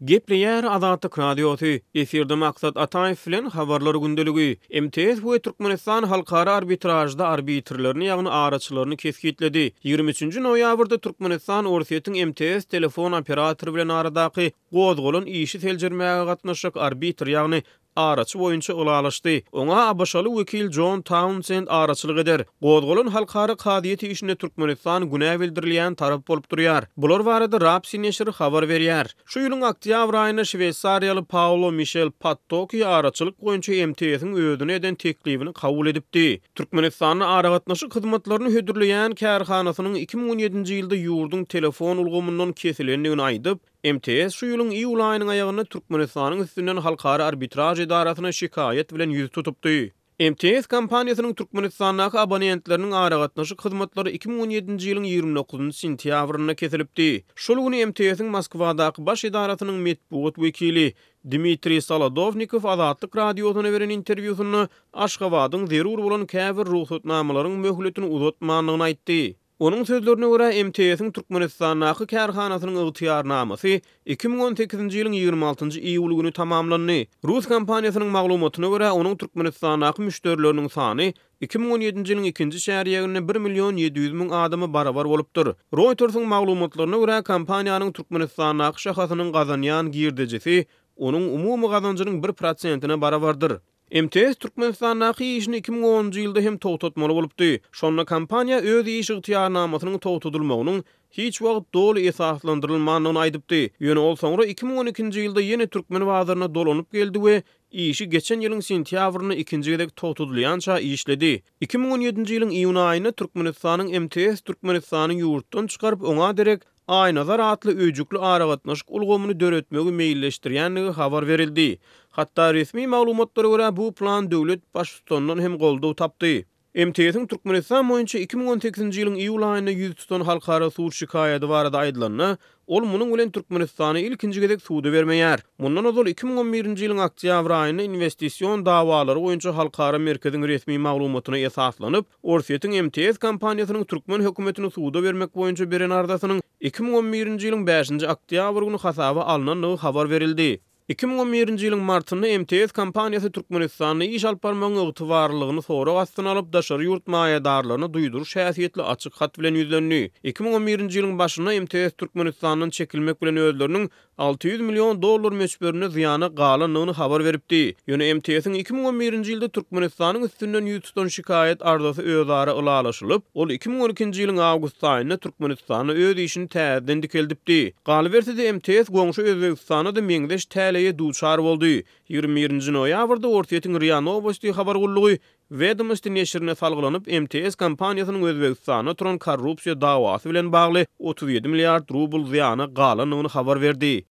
Gepleýär Azatlyk Radiosy, Efirde Maksat Ataýew bilen Habarlar gündeligi. MTS we Türkmenistan halkara arbitražda arbitrlerini, ýagny araçylaryny kesgitledi. 23-nji noýabrda Türkmenistan Orsýetiň MTS telefon operatory bilen aradaky gozgalan işi seljermäge gatnaşjak arbitr, ýagny araçy boýunça ylalaşdy. Oňa ABŞ-ly wekil Jon Taunsend araçylyk eder. Gozgalan halkara kazyýet işinde Türkmenistan günä bildirilýän tarap bolup durýar. Bular barada Rapsi neşiri habar berýär. Şu ýylyň oktýabr aýynda şweýsariýaly Paolo Mişel Pattoki araçylyk boýunça MTS-iň özüne eden teklibini kabul edipdi. Türkmenistanda aragatnaşyk hyzmatlaryny hödürleýän kärhanasynyň 2017-nji ýylda ýurduň telefon ulgamyndan kesilendigini aýdyp, MTS şu ýylyň iýul aýynyň aýagynda Türkmenistanyň üstünden Halkara arbitraž edarasyna şikaýat bilen ýüz tutupdy. MTS kompaniýasynyň Türkmenistandaky abonentleriniň aragatnaşyk hyzmatlary 2017-nji ýylyň 29-njy sentýabrynda kesilipdi. Şol güni MTS-iň Moskwadaky baş edarasynyň metbugat wekili Dmitriý Solodownikow Azatlyk Radiosyna beren interwýusynda Aşgabadyň zerur bolan käbir rugsatnamalaryň möhletini uzatmandygyny aýtdy. Onuň sözlerine görä, MTS-iň Türkmenistandaky kärhanasynyň ygtyýarnamasy 2018-nji ýylyň 26-njy iýuly güni tamamlandy. Rus kompaniýasynyň maglumatyna görä, onuň Türkmenistandaky müşderileriniň sany 2017-nji ýylyň ikinji çärýeginde bir million 700 müň adama barabar bolupdyr. Reuters-iň maglumatlaryna görä, kompaniýanyň Türkmenistandaky şahasynyň gazanýan girdejisi onuň umumy gazanjynyň bir prosentine barabardyr. MTS Türkmenistandaky işini 2010-njy ýylda hem togtatmaly bolupdy. Şonda kompaniýa öz iş ygtyýarnamasynyň togtadylmagynyň hiç wagt doly esaslandyrylmandygyny aýdypdy. Ýöne ol soňra 2012-nji ýylda ýene türkmen bazaryna dolanyp geldi we işi geçen ýylyň sentýabrynda ikinji gezek togtadylýança işledi. 2017-nji ýylyň iýun aýynda Türkmenistanyň MTS Türkmenistany ýurtdan çykaryp, oňa derek Aýnazar atly öýjükli aragatnaşyk ulgamyny döretmegi meýilleşdirýändigi habar berildi. Hatda resmi maglumatlara görä, bu plan döwlet Baştutanyndan hem goldaw tapdy. MTS-iň Türkmenistan boýunça 2018-nji ýylyň iýul aýynda ýüz tutan halkara sud şikaýady barada aýdylanda, ol munuň bilen Türkmenistany ilkinji gezek suda bermeýär. Mundan ozal 2011-nji ýylyň oktýabr aýynda Inwestision dawalary boýunça halkara merkeziň resmi maglumatyna esaslanyp, Orsýetiň MTS kompaniýasynyň türkmen hökümetini suda bermek boýunça beren arzasynyň 2011-nji ýylyň bäşinji oktýabr güni hasaba alnandygy habar berildi. 2011-nji ýylyň martynda MTS kompaniýasy Türkmenistanda iş alyp barmagyň ygtybarlylygyny sorag astyna alyp, daşary ýurt maýadarlaryna duýduryş häsiýetli açyk hat bilen ýüzlendi. 2011-nji ýylyň başynda MTS Türkmenistandan çekilmek bilen özleriniň 600 million dollar möçberinde zyýana galandygyny habar beripdi. Ýöne MTS-iň 2011-nji ýylda Türkmenistanyň üstünden ýüz tutan şikaýat arzasy özara ylalaşylyp, ol 2012-nji ýylyň awgust aýynda Türkmenistanda öz işini täzeden dikeldipdi. Galyberse-de, MTS goňşy Özbegistanda-da meňzeş täleýe duçar boldy. 21-nji noýabrda Orsýetiň RIA Nowosti habar gullugy Wedomosti neşirine salgylanyp, MTS kompaniýasynyň Özbegistanda turan korrupsiýa dawasy bilen bagly 37 milliard rubl zyýana galandygyny habar berdi.